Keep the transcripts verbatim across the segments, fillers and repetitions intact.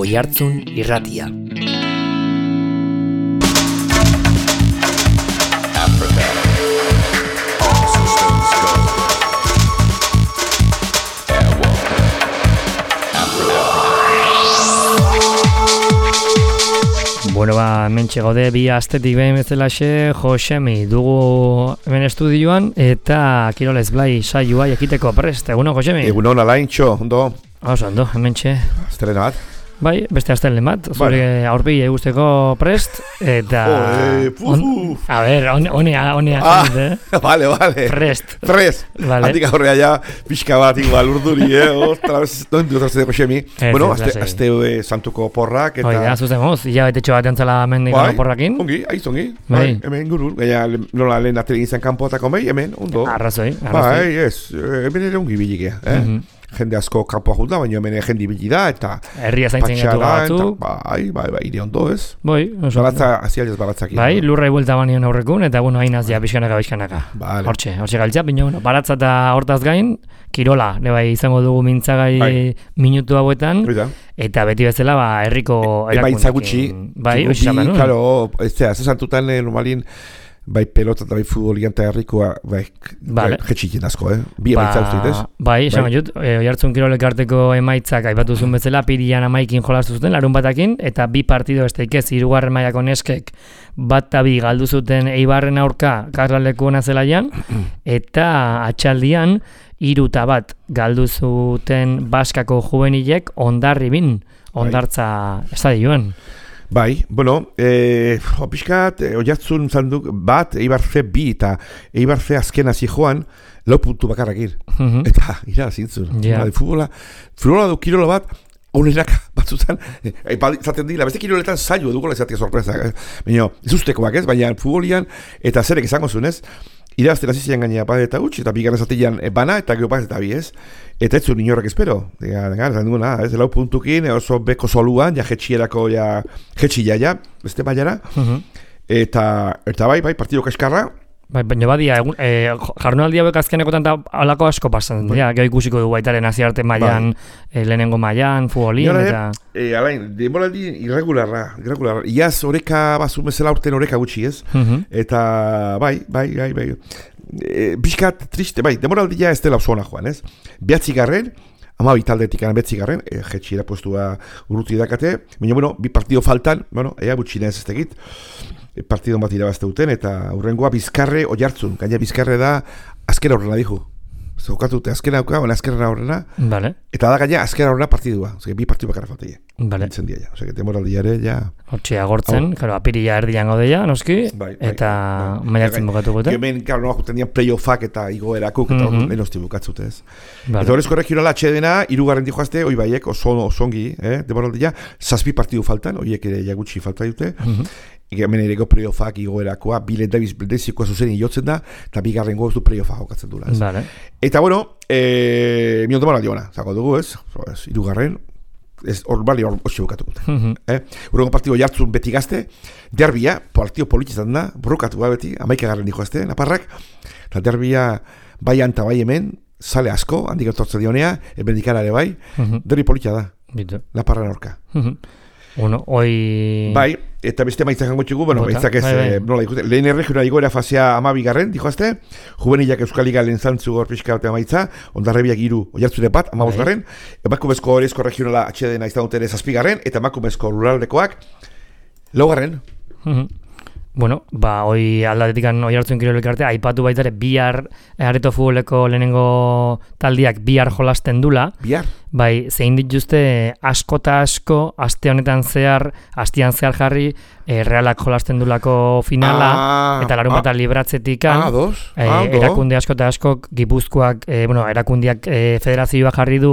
Oihartzun Irratia. Bueno, ba, hementxe gaude bi astetik behin bezalaxe Josemi dugu hemen estudioan eta Kirolez Blai saioa jakiteko prest. Egunon, Josemi? Egunon, alaintxo, ondo? Oso, ondo, hementxe. Aztelena bat? Bai, beste aztelen bat, zure bueno. Aurpegi eguzteko prest, eta... Oe, on, a ber, honea, honea, ah, eh? Vale, vale. Prest. Prest. Vale. Handik aurrea ja, pixka bat, igual, urduri, eh? Ostra, non dut azte deko xemi. Bueno, azte, azte e, santuko porrak, eta... Oida, zuzen moz, ja betetxo bat entzala mendiko bai, porrakin. Ongi, aiz ongi. Bai. Bai, hemen gurur, gaia nola lehen atele izan kanpoatako mei, hemen, ondo. Arrazoi, arrazoi. Bai, ez, hemen ere ongi bilikea, eh? Mm-hmm. Jende asko kanpoa jut da, baina hemen jende ibili da, eta... Herria zaintzen gatu batzuk. Bai, bai, bai, ire ondo ez. Bai, oso. Baratza, azialiaz baratzak. Bai, lurra ibuelta banion aurrekun, eta bueno, hainaz ja, bizkanaka, bizkanaka. Vale. Hortxe, hortxe galtzea, baina bueno, baratza eta hortaz gain, kirola, ne bai, izango dugu mintzagai bai. Minutu hauetan. Oida. Eta beti bezala, ba, herriko erakundekin. Eba intzagutxi. Bai, oizan, Karo, ez zera, zesantutan normalin, bai pelota eta bai futbolian eta herrikoa, bai, vale. bai jetxikien asko, eh? Bi ba, emaitza ustez. Bai, esan bai. Jut, e, Oihartzun Kirolek arteko emaitzak aipatu zuen bezala, pirian amaikin jolastu zuten, larun batakin, eta bi partido esteikez, hirugarren mailako neskek, bat eta bi galdu zuten Eibarren aurka, Karlaleko ona zelaian, eta atxaldian, hiru eta bat galdu zuten Baskako juvenilek Hondarribin, Hondartza estadioan. Bai, bueno, eh, opiskat, eh, Oihartzun zanduk bat, Eibar ze bi eta Eibar ze azkena zijoan, lau puntu bakarrakir. Mm-hmm. Eta, ira, zintzun. Yeah. Bai, futbola, futbola du kirola bat, honenak batzutan, eh, zaten dira, beste kiroletan zailo dugu lezatia sorpresa. Eh? Baina, ez ustekoak ez, baina futbolian, eta zerek izango zuen ez, irazten hasi zian gainea bat eta gutxi, eta bigarren zatean bana, eta gero bat eta bi ez. Eta ez zuen inorrak espero. Zan duguna, ez lau puntukin, oso beko soluan, ja jetxierako, ja jetxia ja, beste baiara. Uh-huh. Eta, eta bai, bai, partido kaskarra. Bai, baina badia, e, jarnaldi hauek azkenekotan eta alako asko pasan. Bai. Ja, gero ikusiko dugu baitaren aziarte mailan, bai. e, lehenengo mailan, futbolin, eta... E, alain, demoraldi irregularra, irregularra. Iaz oreka bazu bezala urten oreka gutxi ez. Uh-huh. Eta bai, bai, bai, bai. E, Biskat triste, bai, demoraldia ez dela oso ona joan ez. Behatzi garren, ama bitaldetik gana behatzi garren, e, jetxira postua urruti dakate. Baina, bueno, bi partido faltan, bueno, ea gutxina ez ez tegit. Partido bat irabazte duten, eta hurrengoa Bizkarre Oihartzun. Gaina Bizkarre da azkera horrena dijo. Zokatute azkera hauka, ona azkera horrena. Vale. Eta da gaina azkera horrena partidua. Ose, bi partidu bakarra falta ja. Vale. Entzen dia ja. Ose, temoraldiare ja. Hortxe agortzen, karo, apirila erdian gaude ja, noski. Bai, bai, eta bai, maiatzen bukatu gute. Hemen, karo, noa juten dian playoffak eta igoerakuk, eta mm-hmm. lehenosti bukatzute ez. Vale. Eta horrezko regionala atxedena, irugarren dijoazte, oi baiek, oso osongi, eh, temoraldia, zazpi partidu faltan, oiek ere jagutxi falta dute. Mm-hmm. Hemen ereko playoffak igoerakoa, bilet dabiz bildezikoa zuzen iotzen da, eta bigarren goztu playoffak jokatzen dula. Vale. Eta bueno, e, mion demora diona, zago dugu ez, ez irugarren, ez hor bali hor hotxe bukatu dute. Mm-hmm. Eh? Urrengo partido Oihartzun beti gazte, derbia, partido politizan da, borrokatu da beti, amaikagarren dijo azte, naparrak, eta derbia bai anta bai hemen, sale asko, handik etortze dionea, ebendikara ere bai, mm-hmm. derbi politia da, Bitu. Naparran orka. Mm-hmm. Bueno, hoy... Bai, eta beste maitzak jango txugu, bueno, maitzak ez, bai, bai. Eh, nola ikusten, lehen erregional igoera fasea amabigarren, dijoazte, juvenilak Euskaliga lehen zantzu gor pixka batea maitza, Hondarribiak iru Oihartzune bat, amabosgarren, emakumezko horrezko regionala atxedena izan duten zazpigarren, eta emakumezko ruraldekoak, laugarren. Uh-huh. Bueno, ba, hoi aldatetik Oihartzun Kirolek arte, aipatu baitare bihar areto futboleko lehenengo taldiak bihar jolasten dula. Bihar? Bai, zein dituzte asko eta asko, aste honetan zehar, astean zehar jarri, e, Realak jolasten dulako finala, ah, eta larun bat ah, libratzetikan, ah, dos, e, ah, erakunde asko eta asko, Gipuzkoak, e, bueno, erakundiak e, federazioa jarri du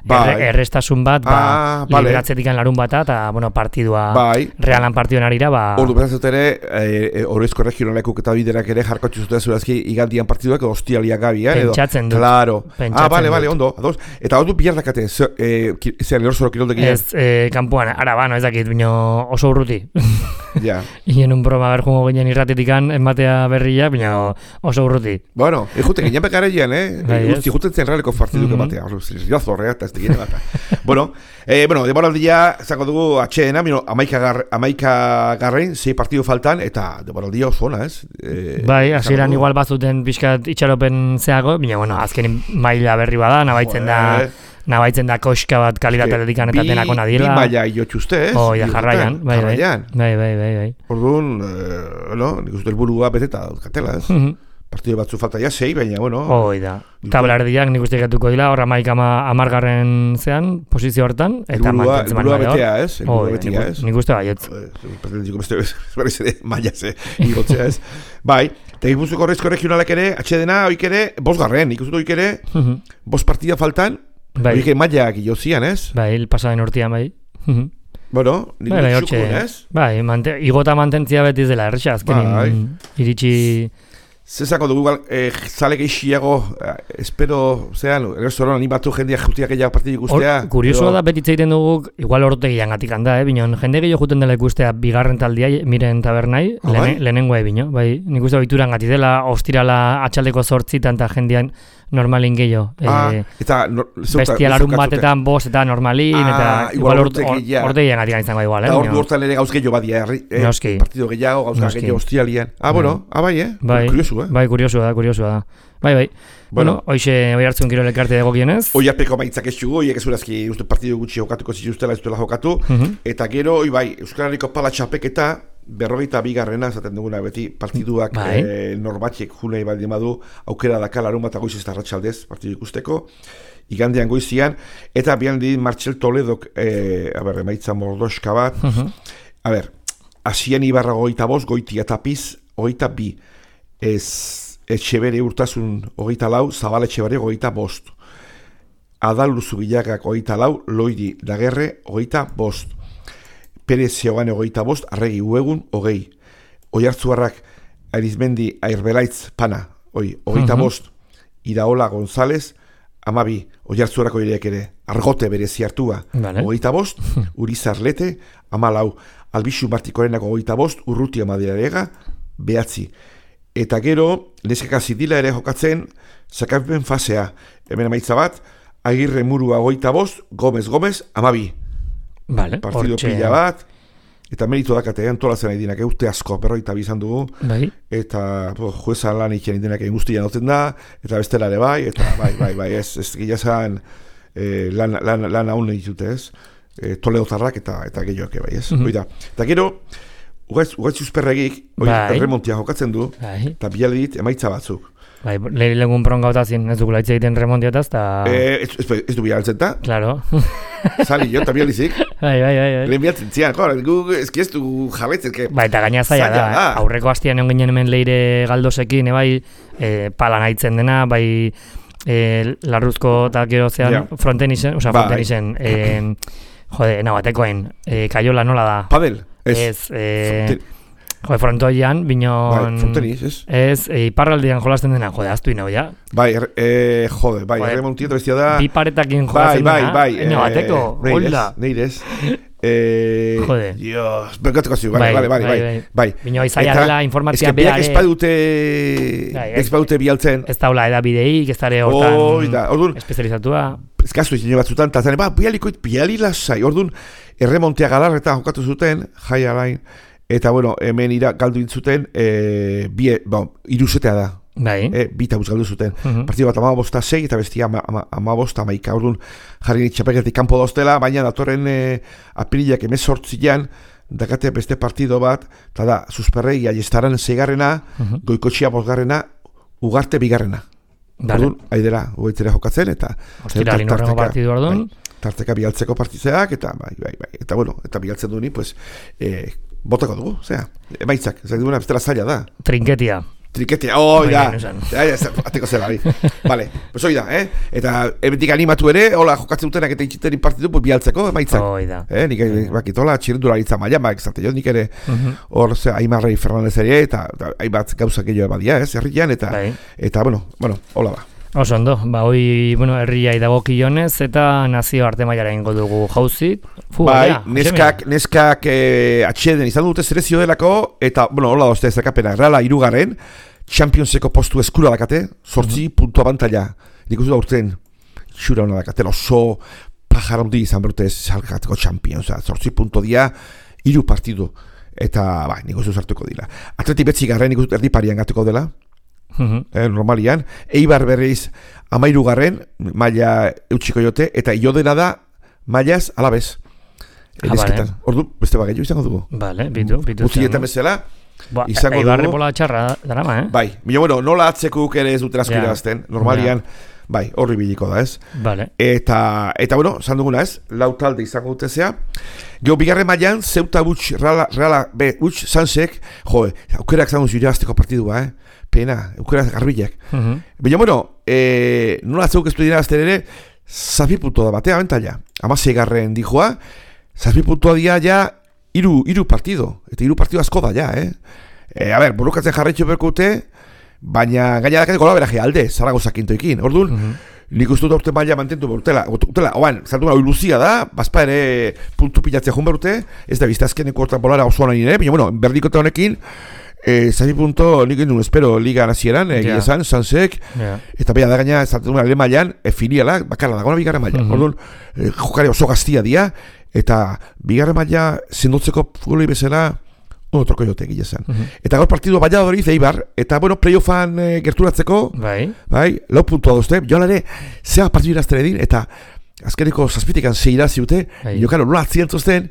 erre, errestasun bat, ba, ah, vale. Libratzetikan larun bata, eta, bueno, partidua, bai. Realan partiduen arira, ba... Ordu berazut ere, e, horrezko regionalekuk eta biderak ere jarkotxu zuten zurazki igandian partiduak, ostialiak gabi, eh? Pentsatzen dut. Claro. Pentsatzen ah, bale, dut. bale, ondo, ados. Eta ordu bihar dakate jokazte, zean erorzoro kiroldegian? Ez, eh, kanpoan, araba, no ez dakit, bino oso urruti. Ja. Ien un broma berjungo ginen irratetikan, enbatea berria, bino oso urruti. Bueno, ejute, ginen bekareian, eh? Guzti, juten zen realeko partiduk ematea, riazorrea, eta ez digine bat. Bueno, eh, bueno, demoraldia, zango dugu, atxeena, bino, amaika garrein, zei partidu faltan, eta demoraldia oso ona, ez? Eh, bai, hasieran igual bazuten pixkat itxaropen zeago, bino, bueno, azken maila berri bada, nabaitzen da... Nabaitzen da koska bat kalitatetik anetatenako nadiela. Bi maila iotxuzte, ez? Oh, ja, jarraian. Bai, bai, bai, bai, bai. Orduan, eh, no, nik uste helburua beteta daukatela, ez? Mm-hmm. Partidu batzu falta ja, sei, baina, bueno... Hoi da. Tabelardiak nik uste gatuko dila, horra maik amargarren zean, posizio hortan, eta mantentzen helburua betea, ez? Helburua betea, ez? Nik uste baietz. Pretendiko beste, berriz ere, maila ze, igotzea, ez? Bai, eta Gipuzkoako Horreizko Regionalak ere, atxedena, oik ere, bosgarren, nik uste oik ere, bost partida faltan, bai. Oike mailak jozian, ez? Bai, pasaden urtean, bai. Bueno, nik bai, txukun, ez? Bai, mante, igota mantentzia betiz dela, erresa, azkenin bai. Iritsi... Zezako dugu, eh, zalek eixiago, eh, espero, zean, errestoran animatu jendeak jutiak gehiago partidik ustea. Kuriosua da betitza egiten dugu, igual ortegian gatik handa, eh? Binon, jende gehiago juten dela ikustea bigarren taldia, miren tabernai, oh, lehen, bai? Lehenengoa ebino, bai. Nik uste bituran gati dela, ostirala atxaldeko zortzitan eta jendean normalin gehiago. Ah, eh, eta no, bestia larun batetan, bost eta normalin, ah, eta igual ortegian gatik izango igual, eh? Eta ordu hortan ere gauz gehiago badia, eh? Noski. Partido gehiago, gauz gehiago ostialian. Ah, bueno, ah, bai, eh? Bai. Kuriosu, eh? Bai, kuriosua da, kuriosua da. Bai, bai. Bueno, bueno hoxe hoi hartzun kirol elkarte dago gienez. Hoi arpeko maitzak ez txugu, hiek ez urazki uste partidu gutxi jokatuko zituztela, ez dutela jokatu. Uh -huh. Eta gero, hoi bai, Euskal Herriko pala txapeketa, berrogeita bigarrena, esaten duguna beti, partiduak bai. eh, norbatxek junei baldin badu, aukera daka larun bat agoiz ez da ratxaldez, partidu ikusteko, igandean goizian, eta bian di Martxel Toledok, eh, a ber, emaitza mordoska bat, uh -huh. a ber, asian ibarra goita bost, goitia tapiz, goita bi, ez... Etxebere urtasun hogeita lau, Zabal Etxebere hogeita bost. Adal Luzubilagak hogeita lau, Loidi Dagerre hogeita bost. Perez Zeogane hogeita bost, Arregi Uegun hogei. Oiartzuarrak Arizmendi Airbelaitz Pana, hoi, hogeita bost. Iraola González, amabi, Oiartzuarrak oireak ere, Argote berezi hartua, hogeita bost. Urizar Lete, amalau. Albixu Martikorenako hogeita bost, Urrutia Madirarega, behatzi. Eta gero, neskaka zidila ere jokatzen, zakapen fasea. Hemen emaitza bat, Agirre Murua hogeita bost, Gomez Gomez, amabi. Vale, partido ortxe... pila bat. Eta merito dakate, antolatzen nahi dinak, urte asko, berroita bizan dugu. Bai. Eta po, juezan lan ikien dinak egin guztian oten da, eta bestela ere bai, eta bai, bai, bai, ez, ez gila zan eh, lan, lan, lan haun ditute ez, eh, Toledotarrak eta, eta gehioak bai, ez. Mm-hmm. Oida. Eta gero, Ugaitz uzperregik, bai. Remontia jokatzen du, bai. Eta biale dit emaitza batzuk. Bai, lehi legun pronga otazien, ez dugula hitz egiten remontiataz, eta... Eh, ez, ez, ez du bialtzen, ta? Claro. Zali jo, eta bializik. Bai, bai, bai. bai. Lehen bialtzen zian, jo, ez ki ez du jarraitzen, que... Bai, eta gaina zaila da, da. Aurreko hastian egon ginen hemen leire galdosekin, e, bai, e, pala nahitzen dena, bai, e, larruzko eta gero zean, yeah. fronten izen, oza, fronten izen, e, jode, nabatekoen, e, kaiola nola da? Padel. Ez, ez eh, jode, frontoian, binon... Bai, fronteniz, ez? Ez, e, iparraldean jolasten dena, jode, aztu ino, ja? Bai, eh, jode, bai, erre montieto bestia da... Bi paretakin jolasten bai, dena, bai, bai, eno bateko, hola. Neirez, eh... Jode. Dios, bergatuko ziu, bai, bai, bai, bai, bai. Bino, izaila dela informatzia behar... Ez que espadute... Ez badute bialtzen... Ez daula edabideik, ez dara hortan... Espezializatua... Ez kastu izan batzutan, eta zane, ba, bialikoit, biali lasai, orduan, erremontea galarretan jokatu zuten, jai alain, eta, bueno, hemen ira galdu intzuten, e, bie, bon, iruzetea da. Bai. E, bita buz galdu zuten. Uh-huh. Partidu bat amabosta sei, eta bestia amabosta amaika, orduan, jarri txapeketik kanpo dauztela, baina datorren e, apirilak emezortzian, dakate beste partido bat, eta da, susperrei aiestaran zeigarrena, uh-huh. Goikotxia bosgarrena, Ugarte bigarrena. Orduan, haidera, uaitzera jokatzen, eta... Ostira, linorrengo partidu orduan. Bai, tarteka bialtzeko partizeak, eta bai, bai, bai. Eta bueno, eta bialtzen duni, pues, eh, botako dugu, zera, emaitzak, ez duguna, bestela zaila da. Trinketia. Trinketia, oi da. Ja, ja, ateko zela, bai. Vale, pues oi da, eh? Eta ebetik animatu ere, hola, jokatzen dutenak eta itxiterin partidu, pues bialtzeko, emaitzak. Oi da. Eh, nik, bakitola, txirendularitza maia, mak, zate jo, nik ere, hor, ze, Aimarrei Fernandez ere, eta, eta aibat gauzak gehiago badia, ez, herrian, eta, eta, bueno, bueno, hola ba. Oso ondo, ba, hoi, bueno, herriai dagokionez eta nazio arte mailara ingo dugu jauzi. Bai, ja, neskak, neskak eh, atxeden izan dute selezio delako, eta, bueno, hola dozte ezakapena, Reala irugarren, Championseko postu eskura dakate, sortzi uh-huh. puntua bantalla. Nik uste da urten, xura hona dakate, oso pajarondi izan berute salkateko Champions, sortzi punto dia, iru partidu, eta, bai, nik uste sartuko dira. Atleti betzi garren, nik uste erdi parian gatuko dela, uh-huh. eh, normalian, Eibar berriz amairu garren, maila eutxiko jote, eta iodena da, mailaz alabez. Ah, vale. Ordu, beste bagailu izango dugu. Vale, bitu, bitu. Guztietan bezala, ba, izango dugu. Eibarre bola txarra darama, eh? Bai, bila, bueno, nola atzekuk ere ez duten asko irabazten, normalian, ja. Bai, horri biliko da, ez? Vale. Eta, eta bueno, esan duguna, ez? Lau talde izango dutezea. Geo, bigarren mailan, Zeuta Butx, Reala, Reala, be, Butx, Sansek, jo, aukerak zango zu irabazteko partidua, eh? Pena, aukerak garbilak. Uh-huh. Bila, bueno, eh, nola atzekuk ez du irabazten ere, zazpi punto da batea, bentalla. Amasei garren dijoa, zazpi puntua dia ja iru, iru partido, eta iru partido asko da ja, eh? E, a ber, burukatzen jarraitxo berkute, baina gaina dakateko gola beraje alde, Zaragoza kintoekin, orduan, uh-huh. nik uste dut aurten maila mantentu berutela, utela, oan, zaltu gara, luzia da, bazpa ere puntu pilatzea jun berute, ez da bizta azkeneko hortan bolara osoan nire, baina, bueno, berdikote honekin, Eh, zazpi punto, nik egin espero liga nazieran, egia yeah. esan, Sansek, yeah. eta beha da gaina, zaltu gara, lehen mailan, e, filiala, bakarra dagoena bigarren maila, uh-huh. orduan, eh, jokare oso gaztia dia, eta bigarren maila zendotzeko futbolei bezala, ono troko jote egia esan. Uh-huh. Eta gaur partidu Valladolid Eibar, eta bueno, playoffan e, gerturatzeko, bai, bai, lau puntua dozte, joan ere, zea partidu irazten edin, eta azkeneko zazpitikan zei irazi dute, bai. Jokaro, nola atzientuzten,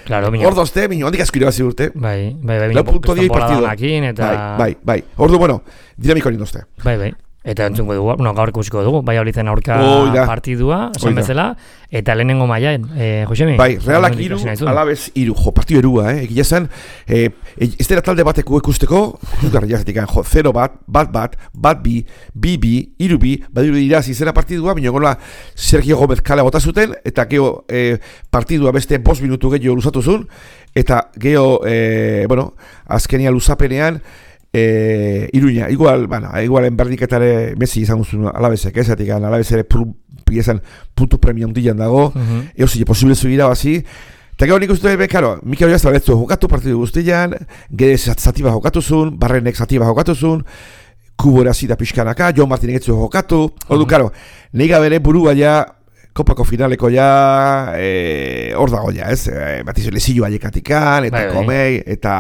claro, hor dozte, minio, handik asko irabazi urte. Bai, bai, bai, lau punto dia partidu. Eta... Bai, bai, bai. Ordu, bueno, dinamiko nindozte. Bai, bai. Eta entzungo dugu, bueno, gaur ikusiko dugu, bai horitzen aurka Oida. partidua, esan bezala, eta lehenengo mailaen, eh, Josemi? Bai, Realak iru, alabez iru, jo, partidu erua, eh, egia zen, eh, ez dira talde bateko ikusteko, jugarri jazetik, jo, zero bat, bat bat, bat bi, bi bi, iru bi, badiru irazi zera partidua, bineo gola Sergio Gómez kale bota zuten, eta geho eh, partidua beste bost minutu gehiago luzatu zuen, eta geho, eh, bueno, azkenia luzapenean, Eh, Iruña, igual, bueno, igualen berdiketare Messi izan guztun alabezek, ez, etik, alabez ere piezan puntu premia hundian dago, uh-huh. Eo zile posible zugira bazi, eta gero nik uste, karo, Mikel Oiazta beretzu jokatu partidu guztian, gede zatiba jokatu zuen, Barrenek zatiba jokatu zuen, Kubo ere azita pixkanaka, Jon Martinek etzu jokatu, uh-huh. Ordu, karo, nega bere burua ja, kopako finaleko ja, hor e, dago ja, ez, e, batiz lezillo aiekatikan, eta bai, komei, eta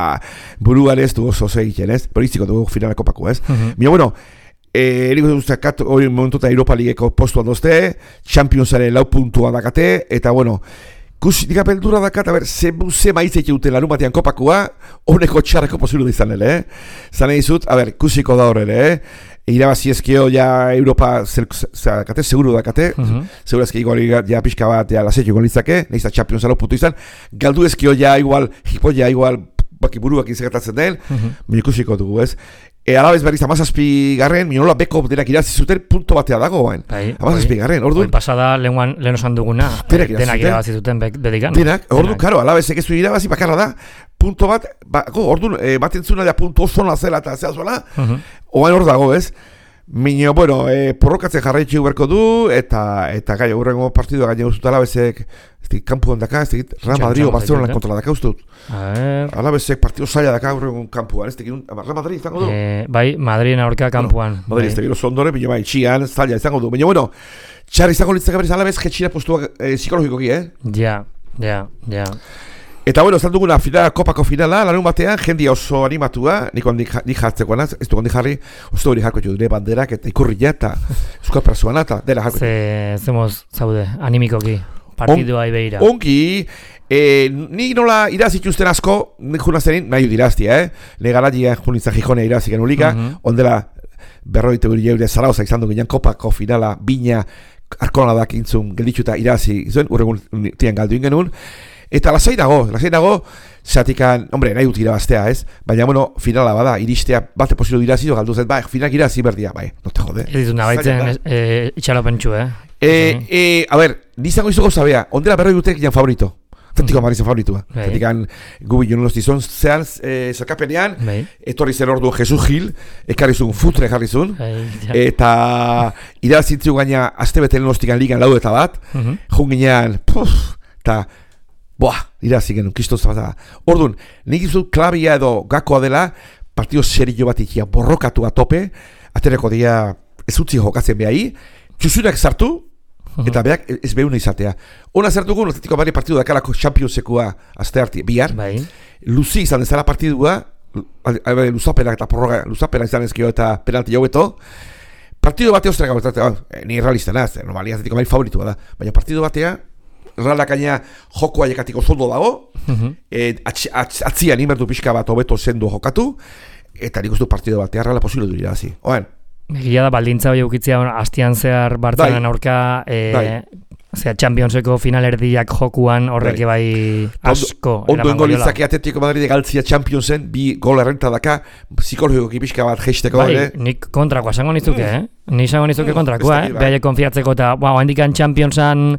buruan ez du oso egiten, ez, politziko dugu finale kopako, ez. Uh-huh. Mira, bueno, e, eriko duzak, hori momentuta Europa Ligeko postuan dozte, Championsaren lau puntua dakate, eta bueno, kus, dika peldura dakat, a ber, ze, ze maitzeik euten larun batean kopakua, honeko txarreko posilu da izan, eh? Zane dizut, a ber, kusiko da horre, eh? Irabazi ezkio ja Europa zakate, seguru dakate, uh-huh. Seguru ezkio igual ja pixka bat ja lasetio golitzake, nahiz da Champions alo puntu izan, galdu ezkio ja igual, hipo ja igual baki buruak izagatatzen den, uh-huh. Mikusiko dugu ez. E, alabez berriz amazazpi garren, minola beko denak irazi zuten punto batea dago bain. Amazazpi garren, orduan. Oin pasada lehen osan duguna, denak irabazi zuten bedikan. Denak, orduan, karo, alabezek ez du irabazi bakarra da, punto bat, ba, orduan, e, batentzuna da punto oso nazela eta zea zuela, uh-huh. Oain hor dago ez. Minio, bueno, e, porrokatzen jarraitxu berko du, eta eta gai, aurrengo partidua gaine guztut alabezek, ez dut, kampuan daka, ez dut, Real Madrid o Barcelona kontra daka ustut. Alabezek partidu zaila daka aurrengo kampuan, ez dut, Real Madrid izango du? Eh, bai, Madrid aurka kampuan. Bueno, Madrid, ez dut, zondore, minio bai, txian, zaila izango du. Minio, bueno, txar izango litzak berriz alabez, jetxira postua eh, psikologikoki, eh? Ja, ja, ja. Eta bueno, ez duguna finala, kopako finala, larun batean, jendia oso animatua, nik ondik jartzeko anaz, ez du ondik jarri, oso hori jarko dure banderak, eta ikurria, eta euskal persoana, eta dela jarko. Ze, zemoz, zaude, animikoki, partidua On, ibeira. Ongi, e, nik nola irazituzten asko, nik junazenin, nahi diraztia, eh? Legarajia junitza jijonea irazik enulika, uh-huh. Ondela, berroite guri jeure Zaragoza izan dugu, kopako finala, bina, arkona dakintzun, gelditxuta irazi, zuen, urregun tian galdu ingenun, eta lasai dago, lasai dago, zatikan, hombre, nahi dut irabaztea, ez? Baina, bueno, finala bada, iristea bate posilu dirazi, galdu zen, bai, finak irazi berdia, bai, no te jode. Ez ditut nabaitzen e, itxalopentsu, eh? E, e, a ber, nizango izuko zabea, ondela berroi dutek jan favorito. Atletico Madrid zen favoritua. Atletikan gubi joan lostizun, zehan, zerkapenean, etorri zen ordu Jesus Gil, ekarrizun futre jarrizun, eta irazitzu gaina azte beten lostikan ligan lau eta bat, jun ginean, puf, eta, boa, irazik genuen, kistoz bat. Orduan, nik izu klabia edo gakoa dela, partido serio bat ikia, borrokatu atope, atereko dia ez utzi jokatzen behai, txusurak sartu, eta beak ez behuna izatea. Ona zertuko, Atletico Madrid partidu dakalako Championseko azte harti, bihar. Bai. Luzi izan ezala partidua, luzapenak eta prorroga, luzapenak izan ezkio eta penalti jaueto. Partidu batea ostera gabetate, ni realista naz, normalia Atletico Madrid favoritua da. Baina partidu batea, Realak gaina joko aiekatiko zondo dago, atzian imertu pixka bat hobeto zendu jokatu, eta nik uste partidu batea Reala posible du irabazi. Oen, egia da, baldintza hori eukitzea astian zehar Bartzelan aurka, e, zera Championseko finalerdiak jokuan horrek bai asko. Ondo engo litzake Atletico Madrid galtzia Championsen, bi gol errenta daka, psikologiko pixka bat geisteko. Bai, nik kontrakoa esango nizuke, eh? Ni esango nizuke kontrakoa, eh? Behaile konfiatzeko eta, ba, handikan Championsan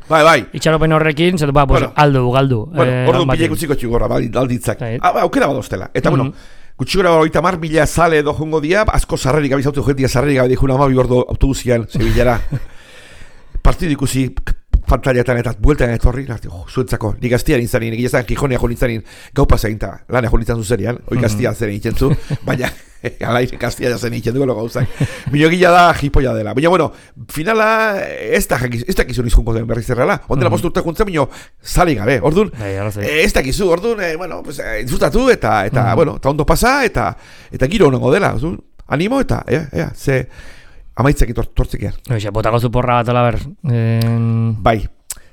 itxaropen horrekin, zetu, ba, aldu, galdu. Bueno, orduan pilek utziko txugorra, alditzak. Aukera badoztela. Eta, bueno, gutxigora hori tamar mila sale edo jongo dia, asko sarrerik abizautu jentia sarrerik gabe dihuna amabi gordo autobusian, Sevillara. Partidu ikusi pantailetan eta bueltan etorri, oh, zuentzako, ni gaztian intzanin, egia zan Gijonia jo nintzanin, gau pasa eginta, lan egon nintzan zuzerian, hori gaztia zen egiten zu, baina, alaire gaztia zen egiten dugu gauzak. Mino gila da, jipoia dela. Baina, bueno, finala, ez da kizun izkunko den berriz errala, ondela postu urte juntzen, mino, sali gabe, orduan, ez da kizu, orduan, bueno, disfrutatu, eta, eta, bueno, eta ondo pasa, eta, eta giro honengo dela, animo, eta, ea, ea, ze, amaitzak itortzik ean. Oixe, botako zu porra bat, ala ber. En... Bai,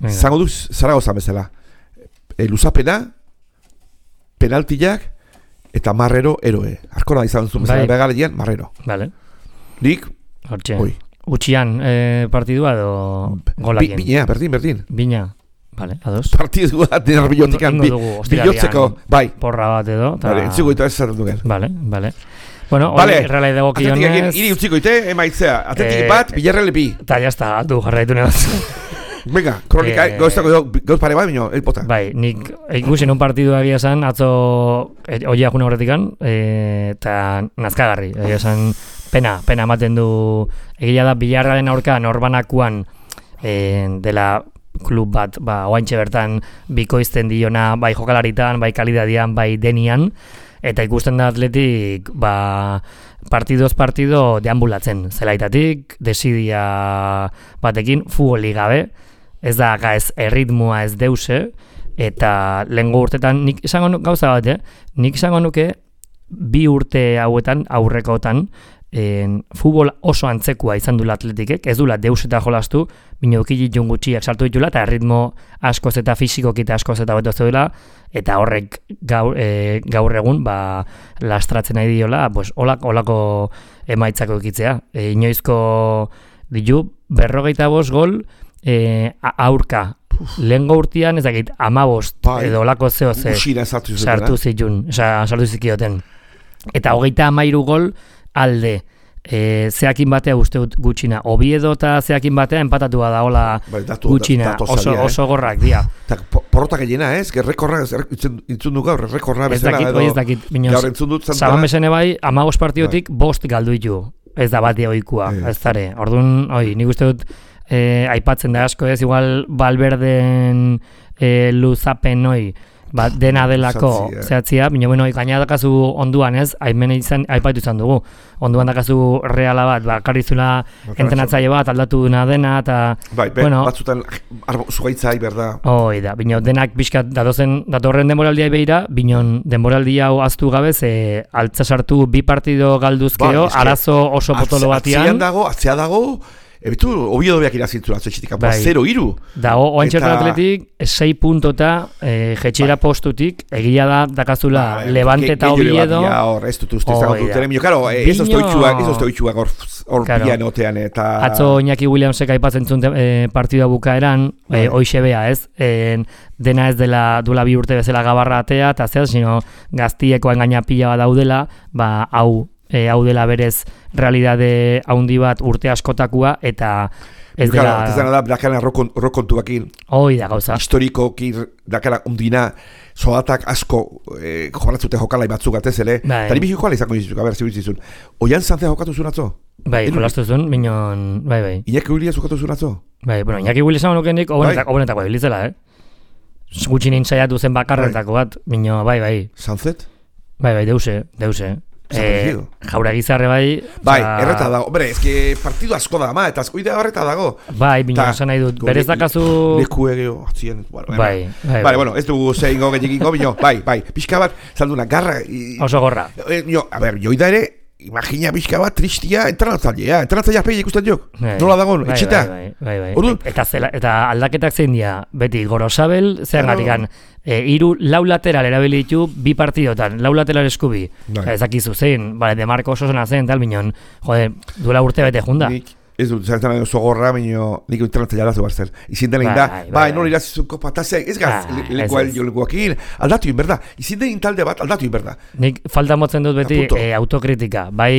zango duz, Zaragoza bezala. E, luzapena, penaltiak, eta Marrero eroe. Arkona izan zuen bezala, begalean, Marrero. Vale. Nik, hortxe. Utxian eh, partidua edo golakien? Bina, berdin, berdin. Bina. Vale, ados. Partidua, denar bilotikan, bilotzeko, bai. Porra bat edo. Vale, entzuko eta ez zaten duken. Vale, vale. Bueno, hori vale. Realai dago kionez... Atletik iri utziko ite, emaitzea. Atletik eh, bat, Villarreal bi. Eta jazta, du jarraitu nebaz. Venga, kronika, eh, gauztako gauz pare bat, bineo, el pota. Bai, nik ikusi nun partidu egia esan, atzo oia juna horretikan, eta e, nazkagarri. Egia esan, pena, pena ematen du, egia da, Villarrealen aurka norbanakuan e, dela klub bat, ba, oaintxe bertan bikoizten diona, bai jokalaritan, bai kalidadian, bai denian, eta ikusten da Atletik ba, partidoz partido deambulatzen zelaitatik, desidia batekin, futboli gabe, ez da ez erritmoa ez deuse, eta lehengo urtetan, nik izango nuke, gauza bat, eh? nik izango nuke bi urte hauetan, aurrekotan, en, futbol oso antzekoa izan dula Atletikek, ez dula deus eta jolastu, bino ukili jungutxiak sartu ditula, eta erritmo askoz eta fisikoki eta askoz eta beto zeudela, eta horrek gaur, e, gaur egun ba, lastratzen nahi diola, pues, olak, olako emaitzako ekitzea. E, inoizko ditu, berrogeita bost gol e, aurka. Lehengo urtean, ez dakit, amabost edo olako zeo ze sartu zitun, sartu zikioten. Eta hogeita amairu gol alde. E, zeakin batea uste gutxina. Oviedo eta zeakin batea empatatua da hola gutxina. Oso, oso gorrak, dia. Porrotak egina, ez? Rekorra, intzun du gaur, rekorra bezala. Ez dakit, ez dakit. Binoz, zaban bezene bai, amagos partiotik bost galdu ditu. Ez da batia oikua, ez zare. Orduan, oi, nik uste dut eh, aipatzen da asko ez, igual Valverden eh, luzapen oi, ba, dena delako zehatzia, bino, bueno, gaina dakazu onduan ez, aimen izan, aipatu izan dugu, onduan dakazu reala bat, ba, karrizula entenatzaile bat, aldatu duna dena, eta, bai, be, bueno, batzutan zugaitza iberda. Hoi da, bino, denak pixkat datozen, datorren denboraldia beira, bino, denboraldia hau aztu gabe, ze altza sartu bi partido galduzkeo, ba, arazo oso potolo batian. Atzean dago, atzea dago, ebitu, Oviedo beak irazintzula atzetxitik, bai. zero iru. Da, oantxertan eta... Atletik, sei puntota e, jetxera bai. Postutik, egia da, dakazula, bai, Levante eta Oviedo. Ja, hor, ez dut uste, zago dut, ere, karo, ez oztoitxuak, ez oztoitxuak hor bian otean, eta... Atzo Iñaki Williamsek aipatzen zuen e, partida bukaeran, e, hoixe bea, ez? E, dena ez dela duela bi urte bezala gabarra atea, eta zehaz, sino gaztieko engaina pila bat daudela, ba, hau, E, hau dela berez realidade haundi bat urte askotakua eta Ez dela... Ez dela da, dakana rokontuakin. Hoi da gauza. Historikoki dakana undina, soatak asko eh, joratzute jokalai batzuk atez, ele? Bai. Tari bihiko ala izango dizuzuk, a ber, zibitzizun. Oian zantzea jokatu zuen atzo? Bai, jolastu zuen, minon, bai, bai. Iñaki Williams jokatu zuen atzo? Bai, bueno, Iñaki Williams hau nukenik, obonetako ebilitzela, eh? Gutxinin saiatu zen bakarretako bat, mino, bai, bai. Sanzet? Bai, bai, deuse, deuse. Eh, jaura gizarre bai... Bai, erreta dago. Hombre, ez que partidu asko da, ma, eta asko idea horreta dago. Bai, bino, esan nahi dut, berez dakazu... Leku egeo, atzien... Bueno, bai, bai, bai. Bueno, ez dugu zehingo gehiagingo, bino, bai, bai. Pixka bat, zalduna, garra... Oso gorra. Eh, jo, a ber, joida ere, imagina pixka bat, tristia, entranatzailea, entranatzailea peile ikusten jok. Nola dagoen, bai, etxeta? Bai, bai, bai, bai. Eta, zela, eta aldaketak zein dira, beti, Gorosabel, zean gatikan, e, iru lau lateral erabilitu bi partidotan, lau lateral eskubi. Bai. Ez dakizu zein, bale, de Marco oso zena zen, tal, minon, jode, duela urte bete junda. Nik, ez dut, zaitan nahi oso gorra, minio, nik entranatzailea dazu barzel. Izin dena inda, bai, bai, nori irazizun kopa, eta ez gaz, lekuakin, aldatu inberda. Izin den talde bat, aldatu inberda. Nik falta motzen dut beti e, autokritika, bai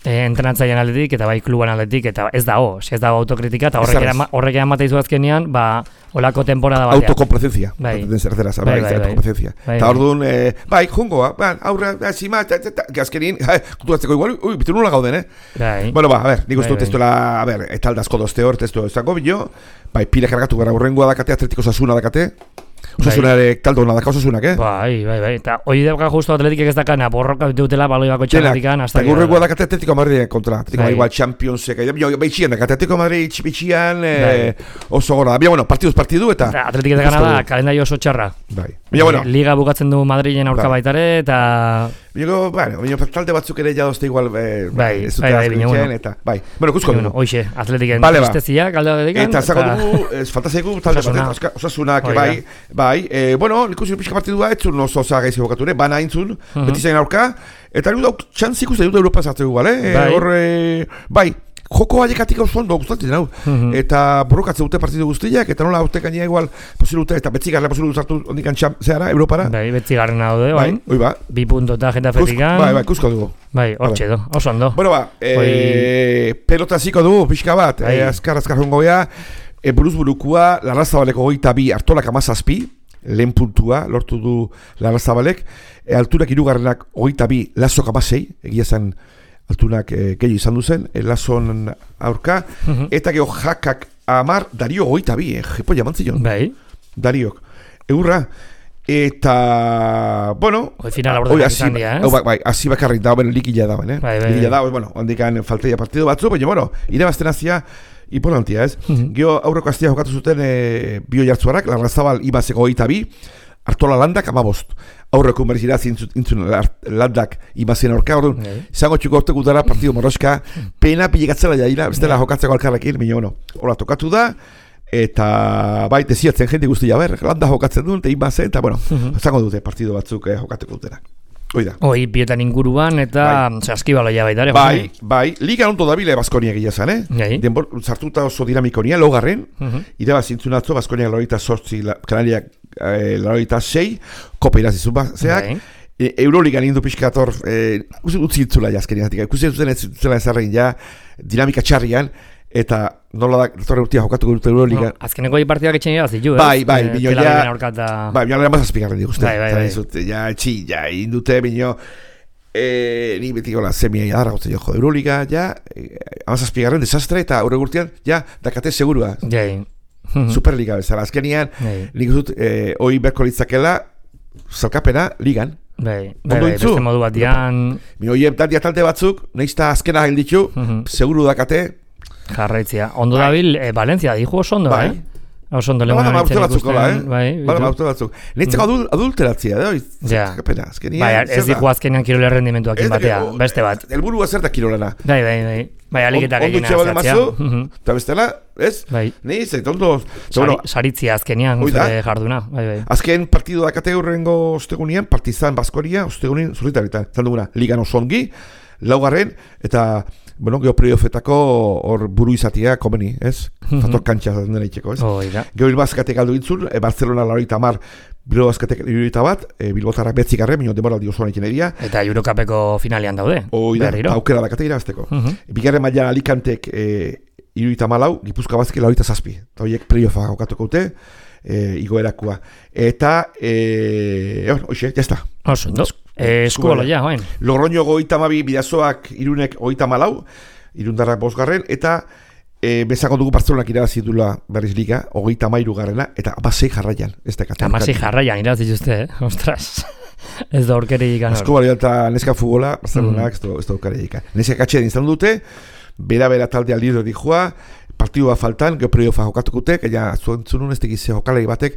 e, entrenatzailean aldetik, eta bai kluban aldetik, eta ez dago, ez dago autokritika, eta horrek eran izu azkenean, ba, olako temporada batean. Autokomplacencia. Bai. Zerderaz, bai, bai, autokomplacencia. Eta hor duen, bai, jungoa, aurra, zima, azkenin, kutuatzeko igual, ui, bitu nula gauden, eh? Bai. Bueno, ba, a ver, nik uste dut testola, a ver, eta aldazko dozte hor, testo ezango bilo, bai, pile kargatu gara urrengoa dakate, Atletiko Osasuna dakate, Osasuna ere taldo hona daka Osasunak, eh? Bai, bai, bai, eta hoi deuka justu Atletikek ez dakana, borroka dutela baloi bako txaletikan, hasta gero. Eta urrengoa dakate Atletico Madrid kontra, Atletico Madrid igual Championsek, behitxian dakate, Atletico Madrid txipitxian, oso gora, bila, bueno, partiduz partidu, eta... Atletik ez dakana da, kalendario oso txarra. Bai, bila, bueno. Liga bukatzen du Madrilen aurka baitare, eta... Bilo, bueno, bino, talde batzuk ere jadozte igual, eh, bai, ez bai, bai, bine, bueno. Eta, bai, bueno, kusko dugu. Hoxe, Atletiken vale, tristezia, galde Atletiken. Eta zako dugu, ez falta zaigu, talde batek, Osasunak, bai, bai, eh, bueno, ikusi pixka partidua, etzun oso oza gaizi bokature, bana intzun, beti zain aurka, eta niru dauk txantzik uste dut Europa zartzegu, bale? Hor, bai, joko haiekatik hau zondo gustatzen hau, eta borrokatze dute partidu guztiak, eta nola haute gainea igual posibilute, eta betzigarra posibilute zartu ondikan zehara, Europara. Bai, betzigarren hau de, bai, oi ba. Bi punto eta Getafetikan. Bai, bai, kusko dugu. Bai, hortxe do, oso ondo. Bueno ba, pelota ziko dugu, pixka bat, azkar, azkar jongo gea, buruz burukua, Larrazabaleko goita bi, Artolak amazazpi, lehen puntua, lortu du Larrazabalek, alturak irugarrenak goita bi, Lazok amasei, egia zen, altunak e, gehi izan duzen, e, Lazon aurka, uh-huh. Eta geho jakak amar, Dario goita bi, eh, jepo jamantzion. Bai. Dariok. Eurra, eta, bueno... Hoi final aurdenak izan dira, eh? Bai, bai, hasi bakarrik dago, beno, likila dago, eh? Bai, bai, likila dago, bueno, handikan falteia partidu batzu, baina, bueno, irabazten hazia, importantia, ez? Uh-huh. Geho aurreko aztia jokatu zuten e, bio jartzuarak, Larrazabal imazeko goita bi, Artola landak amabost. Aurreko berizira zintzun landak imazien aurka, orduan, izango txuko orte gutara partidu moroska, pena pilegatzela jaila, bestela jokatzeko alkarrekin, baina, bueno, hola tokatu da, eta bai, desiatzen jende guztia ber, landa jokatzen duen, eta imazen, eta, bueno, izango dute partidu batzuk eh, jokateko dutera. Oida. Oi, bietan inguruan, eta saskibaloia baita ere. Bai, bai, liga onto dabile Baskonia gila zan, eh? Gai. Denbor, zartuta oso dinamikonia, logarren, uh-huh. Iraba zintzun atzo, Baskonia larorita sortzi, Kanariak eh, larorita sei, kopa irazizu bazeak, e, Euroligan indu pixkator, eh, utzi itzula jazkenia, ikusi zuten ez zutela ezarrein ja, dinamika txarrian, eta nola da, torre urtia jokatuko dute Euroliga. No, azkeneko hi partidak etxen ira zitu, ez? Bai, bai, e, bino ja... Bai, bino lera mazazpigarren diguzte. Bai, bai, bai. Zute, ja, etxi, ja, indute, bino... E, ni beti gola, semia jadarra gotzen joko Euroliga, ja, e, amazazpigarren desastre, eta aurre gurtian, ja, dakate segurua. Jai. Superliga bezala, azkenian, nik dut, e, oi berko litzakela, zalkapena, ligan. Bai, bai, bai, beste modu bat dian... Bino, oie, taldia talde batzuk, nahizta azkena hil ditu, seguru dakate, jarraitzia. Ondo ja, dabil, e, Valencia, dijo oso ondo, bai. eh? Oso ondo lehena nintzen ikusten. Eh? Bai, bala maute batzuk. Nintzeko adul, adulteratzia, da? Ja. Bai, ez dijo azkenean kirole rendimentuak batea, beste bat. Elburua zer da kirolena. Bai, bai, bai. Bai, aliketak egin azkatzia. Eta bestela, ez? Bai. Ni, zait, ondo... Saritzia azkenean, zure jarduna. Bai, bai. Azken partidu dakate hurrengo ostegunian, Partizan Baskonia, ostegunin zurritarita. Zalduguna, ligan oso ongi, laugarren, eta... Bueno, geho playoffetako hor buru izatea komeni, ez? Fator kantxa dena itxeko, ez? Oh, geho Bilbazkatek aldu intzun, e, Barcelona larorita mar, Bilbazkatek larorita bat, e, Bilbotara betzikarre, minio demoraldi osoan ikin edia. Eta Eurocapeko finalean daude. Oida, aukera dakate irazteko. Uh-huh. Bigarren maila Alicantek e, iruita malau, Gipuzkoa Basket laurogeita zazpi. Eta horiek playoffa jokatuko dute, e, igoerakua. Eta, e, egon, hoxe, jazta. Oso, no? Eskubola ja, hoen. Logroño goita mabi, Bidasoak irunek goita malau, irundarrak bosgarren, eta e, bezako dugu Barcelonak irabazi dula berriz liga, hogeita mairu garrena, eta amasei jarraian. Amasei jarraian irabazi zuzte, eh? Ostras. Ez da orkere ikan. Eskubola eta neska futbola, Barcelonak mm. ez da orkere ikan. Neska katxean izan dute, bera-bera taldea lider dihua, partidua faltan, geho playoffa jokatukute, gaina zuentzunun ez tegize jokalari batek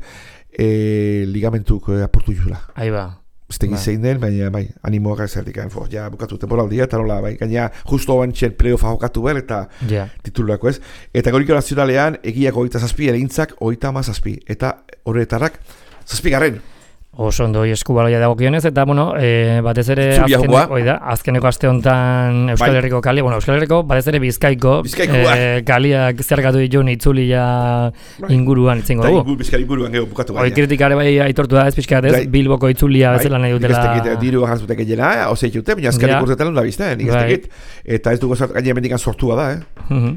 e, ligamentuk e, aportu jula. Ahí ba. Ez tegize inden, baina bai, animoak ezerdik, ja bukatu temporaldia, eta nola, bai, gaina justo bantxen playoffa jokatu behar, eta yeah. titulako ez. Eta goriko nazionalean, egiak ogeita zazpi, eregintzak ogeita ama zazpi, eta horretarrak zazpi garren. Oso ondo eskubaloia dagokionez, eta bueno, e, batez ere azkeneko, oida, azkeneko aste honetan Euskal Herriko kali, bueno, Euskal Herriko batez ere Bizkaiko e, kaliak zergatu dituen itzulia inguruan itzengo dugu. Ingur, Bizkaiko inguruan geho bukatu gaina. Hoi kritikare bai aitortu da ez pixkat ez, Bilboko itzulia bezala nahi dutela. Nik diru jantzute gehiena, ozei jute, baina azkarik urtetan da bizta, nik ez tekit, eta ez dugu gaina mendikan sortua da, eh?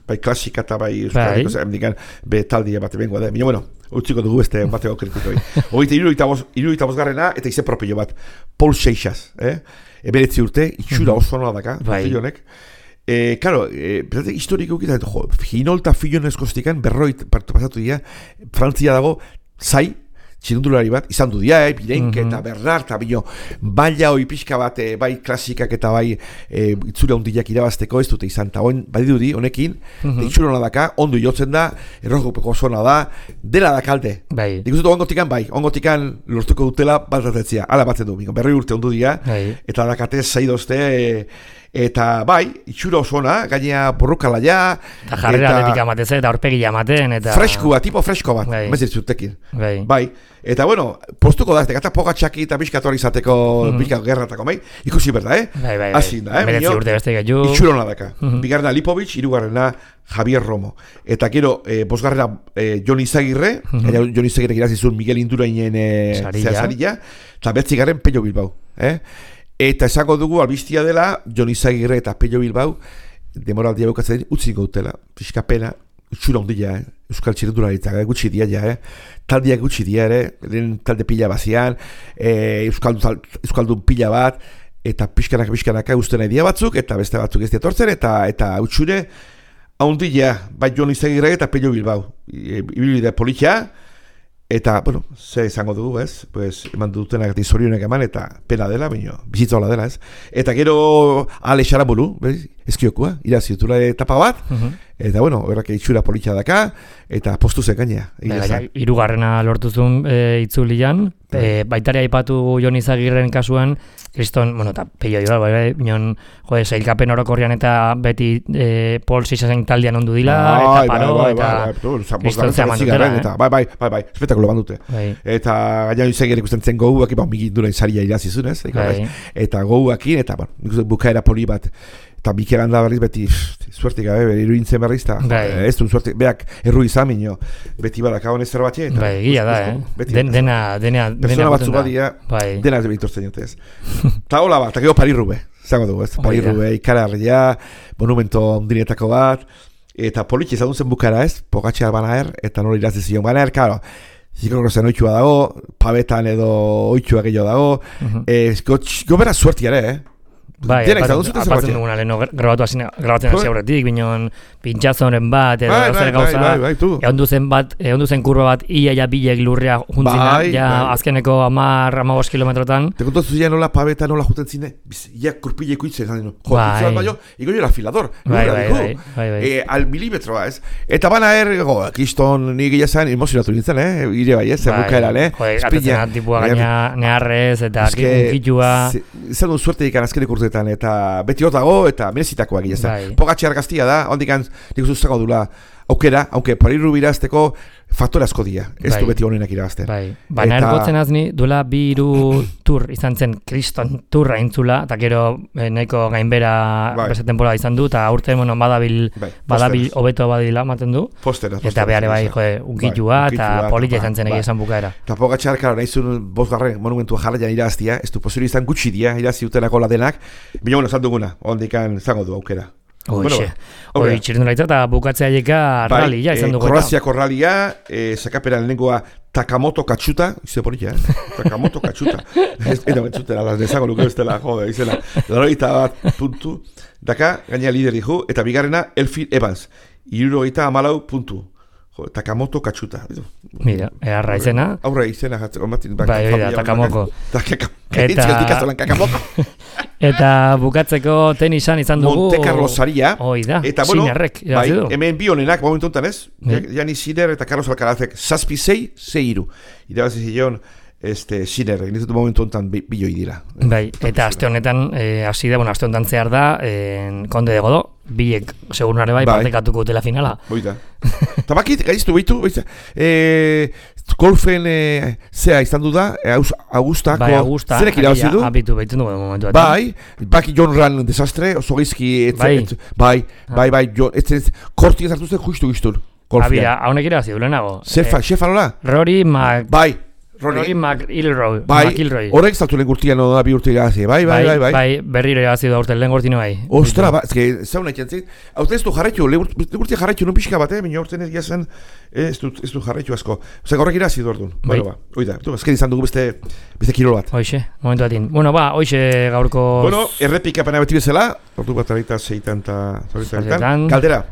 Bai klasika eta bai Euskal Herriko, be taldia bat bengoa da, baina bueno, utziko dugu beste bateko kritikoi. Hogeita irurogeita bosgarrena eta ize propio bat, Paul Seixas, eh? Eberetzi urte, itxura oso nola daka, filonek. Eh, claro, eh, pensate historiko ukita, jo, Ginolta filonezko stikan berroit partu pasatu dira, Frantzia dago, zai, txirundulari bat, izan du dia, eh, Pirenke mm -hmm. eta Bernard, eta bino, baila hoi pixka bat, eh, bai klasikak eta bai eh, itzura hundiak irabazteko ez dute izan, eta hon, badiduri, honekin, mm -hmm. itxura hona daka, ondo jotzen da, errojupeko zona da, dela dakalde. Bai. Dik uste ongotikan, bai, ongotikan lortuko dutela bat atetzia, ala batzen du, berri urte ondu dia, bai. Eta dakatez zaidozte, eh, eta bai, itxura osona, gaina borrukala ja. Eta jarrera atletika amaten, eta horpegi amaten. Eta... Freskua, tipo fresko bat, bai. Mezit zutekin. Bai. Bai. Eta bueno, postuko da, eta pogatxaki eta bizkator izateko, mm -hmm. bizkako gerratako, bai? Ikusi berda, eh? Bai, bai, Azin da, eh? Beretzi urte beste gaitu. Itxura hona daka. Mm -hmm. Bigarrena Lipovic, hirugarrena Javier Romo. Eta gero, eh, bosgarrena eh, Jon Izagirre, mm -hmm. Jon Izagirre girazizun Miguel Indurainen eh, zehazarilla, eta betzigarren Pello Bilbao, eh? Eta esango dugu, albistia dela, Jon Izagirre eta Pello Bilbao, demoraldia bukatzen utziko dutela, pixka pena, utxura ondila, eh? Euskal txirendularitza, gutxi dia ja, eh? Taldiak gutxi dia ere, talde pila bazian, eh, Euskaldun, Euskaldun pila bat, eta pixkanaka pixkanaka usten nahi dia batzuk, eta beste batzuk ez diatortzen, eta eta utxure, ondila, bai Jon Izagirre eta Pello Bilbao, ibilbide politia, eta, bueno, ze izango dugu, ez? Pues, eman dutenak eta izorionek eman, eta pena dela, baina, bizitza hola dela, ez? Eta gero, Ale Xarambulu, bez? Ezkiokua, iraziutura etapa bat, uh -huh. Eta, bueno, horrak itxura politxa daka, eta postu zen gainea. Hirugarrena lortuzun e, itzulian, e, baitaria aipatu Jon Izagirren kasuan, kriston, bueno, eta peio joa, bai, bai, minon, jode, zeilkapen orokorrian eta beti e, Paul Seixasen taldean ondu dila, eta paro, eta kriston zeaman dutela, bai, bai, bai, bai, espetakulo bandute. Eta gaina Izagirren ikusten zen goguak, iba, migin durain zaria irazizunez, eta goguakin, eta, bueno, bukaera poli bat, eta Mikel handa berriz beti suertik gabe, iruintzen berriz, eta ez du suertik, beak erru izan minio, beti badaka honez zer batxe. Bai, gila da, eh? Dena, dena, persona batzu badia, dena ez behitortzen jotez. Eta hola bat, eta gero Paris-Roubaix, zango dugu, ez? Paris-Roubaix, ikaragarria, monumento ondinetako bat, eta politxe izan duzen bukara, ez? Pogatxea Banaer, eta nola irazi zion Banaer, karo, zikon zen oitxua dago, pabetan edo oitxua gehiago dago, gobera suertiare, eh? Bai, apatzen duguna, leheno grabatzen hasi aurretik, bineon pintxazoren bat, edo zer gauza, egon duzen bat, egon duzen kurba bat, ia ja bilek lurrea juntzina, ja azkeneko amar, amabos kilometrotan. Te kontatu zia nola pabeta nola juten zine, ia kurpileko itzen, jo, pintxoan baino, ego jo afilador, al milimetroa, ez? Eta Banaer, go, kriston nik gila zen, emozionatu nintzen, eh? Ire bai, ez, bukaeran, eh? Jo, gatetzen tipua gaina neharrez, eta gitua. Zer duen suerte ikan azkeneko urte eta beti hor dago, eta merezitakoak gila. Pogatxear gaztia da, ondikan nik uzuzako dula aukera, aunque Paris-Roubaix irazteko faktore asko dira, ez du beti honenak irabazten. Baina ergotzen azni, duela bi hiru tur izan zen kriston turra intzula, eta gero nahiko gainbera beste temporada izan du, eta aurten bueno, badabil badabil hobeto badila ematen du, eta behar bai unkitua, eta polita izan zen egia esan bukaera. Eta Pogatxar, karo, nahi zuen bosgarren monumentua jarraian iraztia, ez du posible izan gutxi dira, irazi utenako ladenak, baina bueno, esan duguna, ondikan zango du aukera. Hoxe, hoi txirrindularitza eta bukatzea jeka ralia izan dugu. Kroaziako ralia, sakaperan lehenkoa Takamoto Katsuta, izan porik, eh? Takamoto Katsuta. Eta bentzuten, alaz nezago nuke bestela, jode, izela. Laroita bat puntu, daka, gaina lideri ju, eta bigarrena Elfin Evans, irurogeita amalau puntu. Takamoto Katsuta. Mira, erra izena. Aurra izena jatzeko matin. Bai, bai, Takamoko. Takamoko. Eta bukatzeko tenisan izan dugu. Monte Carlo Saria. Hoi da, eta, bueno, Sinerrek. Bai, hemen bi honenak, momentu enten ez. Jani Sinner eta Carlos Alcarazek. Zazpi zei, zei iru. Irabazi zion, este, Sinner. Egin momentu enten biloi dira. Bai, eta aste honetan, hasi da, bueno, aste honetan zehar da, Konde de Godó. Bilek, segurnare bai, partekatuko dela finala. Boita. Eta bakit, gaiztu behitu, golfen zea izan du da, Augustako, bai, Augusta, zerek irabazi du? Abitu behitu dugu momentu. Bai, baki John Ran desastre, oso gizki, bai, bai, bai, bai, korti ez hartu zen justu giztun. Abira, haunek irabazi du lehenago. Zefa, xefa nola? Rory Mac... Bai. Rory McIlroy. Bai, horrek saltu lehen gurtian da bi urte irabazi. Bai, bai, bai, bai. Bai, berriro irabazi da urte, lehen gurtino bai. Ostra, ba, ezke, zauna ikentzit. Haute ez du jarraitu, lehen gurtia jarraitu, non pixka bat, eh? Minio urten ez giazen, ez du jarraitu asko. Ozak, horrek irabazi du orduan. Bai. Ba, oida, ezken izan dugu beste, beste kirol bat. Hoxe, momentu batin. Bueno, ba, hoxe gaurko... Bueno, errepika pena beti bezala, ordu bat arita zeitan eta... Galdera.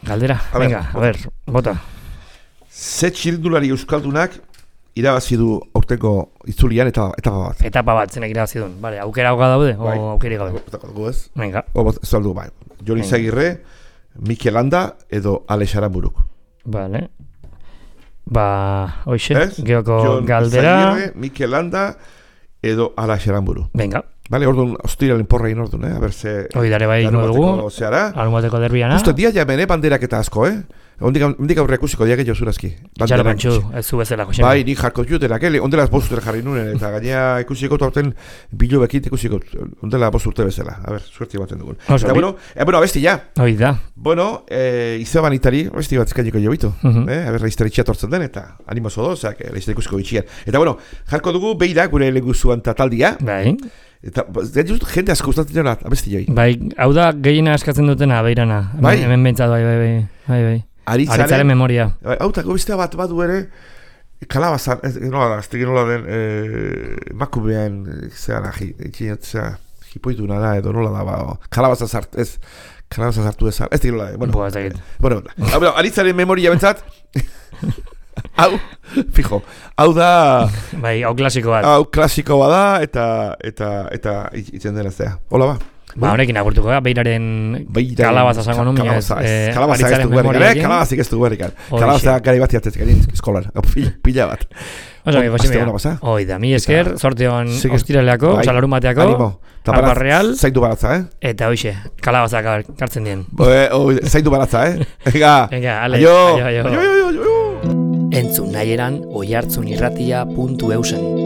Galdera, venga, a ver, bota. Ze txirindulari euskaldunak irabazi du aurtengo itzulian eta etapa bat. Etapa bat zenek irabazi duen. Vale, aukera hauka daude o aukeri gabe. Ez? Venga. Ez aldu, bai. Joni Zagirre, Mikel Landa edo Alex Aranburuk. Vale. Ba, hoxe, geoko galdera. Joni Zagirre, Mikel Landa edo Alex Aranburu. Venga. Vale, orduan, ostiralen porra egin orduan, eh? A ber ze... Hoi dare bai ingo dugu. Alumateko derbiana. Justo dia jamen, eh? Banderak eta asko, eh? Ondik aurre ikusiko diak egin zurazki. Txalo pentsu, ez zu bezala, Josemi. Bai, nik jarko juterak, eh? Ondela bostutera jarri nuen, eta gaina ikusiko torten bilo bekit ikusiko, ondela bosturte bezala. A ber, suerti baten dugun. Eta bueno, eh, bueno, abesti ja. Hoi da. Bueno, eh, izaban itari, abesti bat izkainiko jo bitu. Uh -huh. eh? A ber, laiztari txatortzen den, eta animozo do, zeak, laiztari ikusiko bitxian. Eta bueno, jarko dugu beira gure leguzuan tataldia. Bai. Eta, jende asko gustatzen dira, abesti joi. Bai, hau da gehiena eskatzen dutena, beirana. Bai? Hemen bentsat, bai, bai, bai, bai, bai. Aritzaren, Aritzaren memoria. Hau eta gobiztea bat badu ere, kalabazan, ez nola da, ez tegin nola den, eh, makubean, zean, ahi, zera, hipoitu nada, edo nola da, ba, kalabazan zart, ez, kalabazan zartu ez, ez tegin nola den, bueno, Boa, ez bueno, bueno, Aritzaren memoria bentsat, hau, fijo, hau da... Bai, hau klasiko bat. Hau klasiko bat da, eta, eta, eta, itzen dena zea. Hola ba. Ba, honekin agurtuko da, beiraren kalabaza zango nun, kalabaza ez du guerrikan, eh? Kalabazik ez du guerrikan. Kalabaza gari bat jatezik, gari eskolan, pila bat. Oso, mi Josemi, hoi da, mi esker, sorteon ostiraleako, oza, larun bateako, Alba Real, zaitu baratza, eh? Eta hoxe, kalabaza kartzen dien. Zaitu baratza, eh? Venga, aio, aio, aio, aio, aio. Entzun nahi eran, oihartzunirratia puntu eusen.